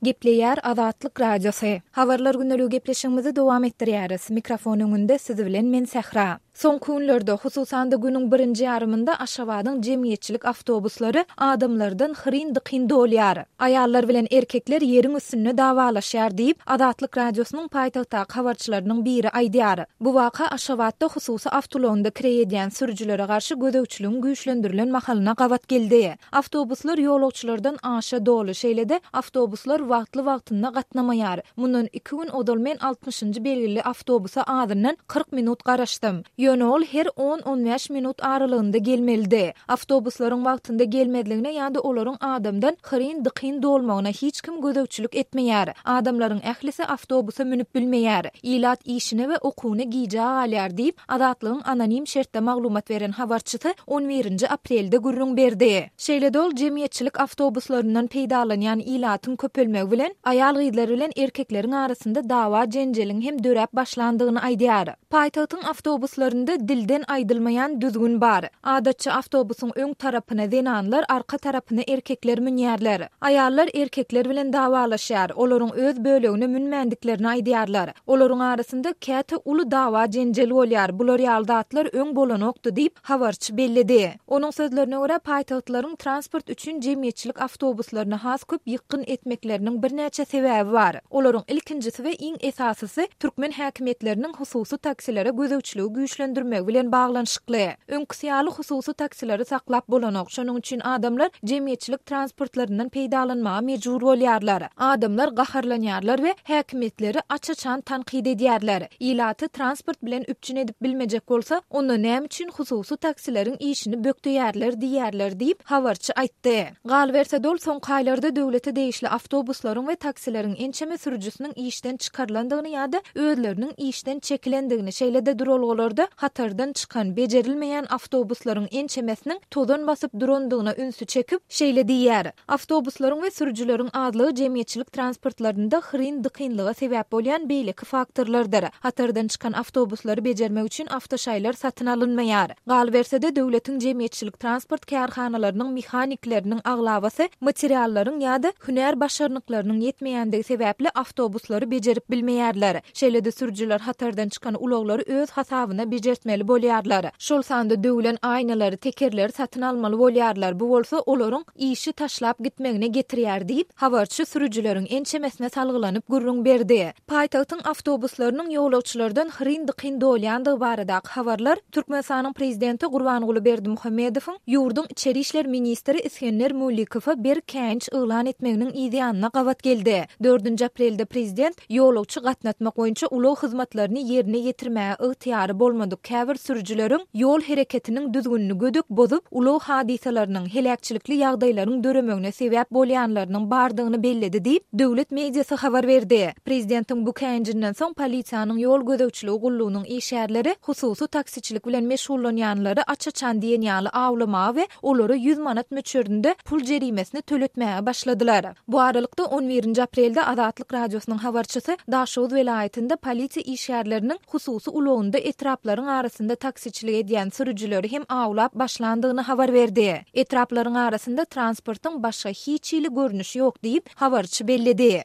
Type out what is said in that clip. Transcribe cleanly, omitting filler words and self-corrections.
Gepleýär Azatlyk Radiosy. Habarlar gündeligi gepleşigimizi dowam etdirýäris. Mikrofon öňünde siz bilen men Sähra. Soňky günlerde, hususan-da günüň birinji ýarymynda Aşgabadyň jemgyýetçilik awtobuslary adamlardan hyryn-dykyn dolýar. Aýallar bilen erkekler ýeriň üstünde dawalaşýar diýip, Azatlyk Radiosynyň paýtagtdaky habarçylarynyň biri aýdýar. Bu waka Aşgabatda hususy awtoulagynda kireý edýän sürüjilere garşy gözegçiligiň güýçlendirilen mahalyna gabat geldi. Awtobuslar ýolagçylardan aşa doly, şeýle-de, awtobuslar wagtly-wagtynda gatnamaýar. Mundan iki gün ozal men altmyşynjy belgili awtobusa azyndan 40 minut garaşdym. Ýöne ol her on-on bäş minut aralygynda gelmelidi. Awtobuslaryň wagtynda gelmezligine ýa-da olaryň adamdan hyryn-dykyn dolmagyna hiç kim gözegçilik etmeýär. Adamlaryň ählisi awtobusa münüp bilmeýär. Ilat işine we okuwyna gijä galýar diýip, Azatlygyň anonim şertde maglumat beren habarçysy on birinji aprelde gürrüň berdi. Şeýle-de ol jemgyýetçilik awtobuslaryndan peýdalanýan ilatyň köpelmegi bilen, aýal-gyzlar bilen erkekleriň arasynda dawa-jenjeliň hem döräp başlandygyny aýdýar. Paýtagtyň awtobuslarynda dilden aýdylmaýan düzgün bar. Adatça awtobusyň öň tarapyna zenanlar, arka tarapyna erkekler münýärler. Aýallar erkekler bilen dawalaşýar, olaryň öz bölegine münmändiklerini aýdýarlar. Olaryň arasynda käte uly dawa-jenjel bolýar, bular ýaly zatlar öň bolanokdy diýip, habarçy belledi. Onuň sözlerine görä, paýtagtlaryň transport üçin jemgyýetçilik awtobuslaryna has köp ýykgyn etmekleriniň birnäçe sebäbi bar. Olaryň ilkinjisi we iň esasysy türkmen häkimiýetleriniň hususy taksilere gözegçiligi güýçlendirmegi bilen baglanyşykly. Öňküsi ýaly hususy taksileri saklap bolanok, şonuň üçin adamlar jemgyýetçilik transportlaryndan peýdalanmaga mejbur bolýarlar. Adamlar gaharlanýarlar we häkimiýetleri aç-açan tankyt edýärler. Ilaty transport bilen üpjün edip bilmejek bolsa, onda näme üçin hususy taksileriň işini bökdeýärler diýýärler diýip, habarçy aýtdy. Galyberse-de ol soňky aýlarda döwlete degişli awtobuslaryň we taksileriň ençeme sürüjisiniň işden çykarylandygyny ýa-da özleriniň işden çekilendigini, şeýle-de duralgalarda hatardan çykan, bejerilmeýän awtobuslaryň ençemesiniň tozan basyp durandygyna ünsi çekip, şeýle diýýär, Awtobuslaryň we sürüjileriň azlygy jemgyýetçilik transportlarynda hyryn-dykynlyga sebäp bolýan beýleki faktorlardyr. Hatardan çykan awtobuslary bejermek üçin awtoşaýlar satyn alynmaýar. Galyberse-de, döwletiň jemgyýetçilik transport kärhanalarynyň mehanikleriniň aglabasy materiallaryň ýa-da hünär başarnyklarynyň ýetmeýändigi sebäpli awtobuslary bejerip bilmeýärler. Şeýle-de sürüjiler hatardan çykan ulaglary öz hasabyna bejertmeli bolýarlar. Şol sanda döwlen aýnalary, tekerleri satyn almaly bolýarlar, bu bolsa olaryň işi taşlap gitmegine getirýär diýip, habarçy sürüjileriň ençemesine salgylanyp gürrüň berdi. Paýtagtyň awtobuslarynyň ýolagçylardan hyryn-dykyn dolýandygy baradaky habarlar Türkmenistanyň prezidenti Gurbanguly Berdimuhamedowyň ýurduň içeri işler ministri Isgender Mulikowa berk käýinç yglan etmeginiň yzýanyna gabat geldi. Dördünji aprelde prezident ýolagçy gatnatmak boýunça ulag hyzmatlaryny ýerine ýetirmäge ygtyýary bolmadyk käbir sürüjileriň ýol hereketiniň düzgünini gödek bozup, ulag hadysalarynyň, heläkçilikli ýagdaýlaryň döremegine sebäp bolýanlarynyň bardygyny belledi diýip, döwlet mediasy habar berdi. Prezidentiň bu käýinjinden soň polisiýanyň ýol gözegçiligi gullugynyň işgärleri hususy taksiçilik bilen meşgullanýanlary aç-açan diýen ýaly awlamaga we olara 100 manat möçberinde pul jerimesini töletmäge başladylar. Bu aralykda, on birinji aprelde Azatlyk Radiosynyň habarçysy Daşoguz welaýatynda polisiýa işgärleriniň hususy ulagynda etraplaryň arasynda taksiçilik edýän sürüjileri hem awlap başlandygyny habar berdi. Etraplaryň arasynda transportyň başga hiç hili görnüşi ýok diýip, habarçy belledi.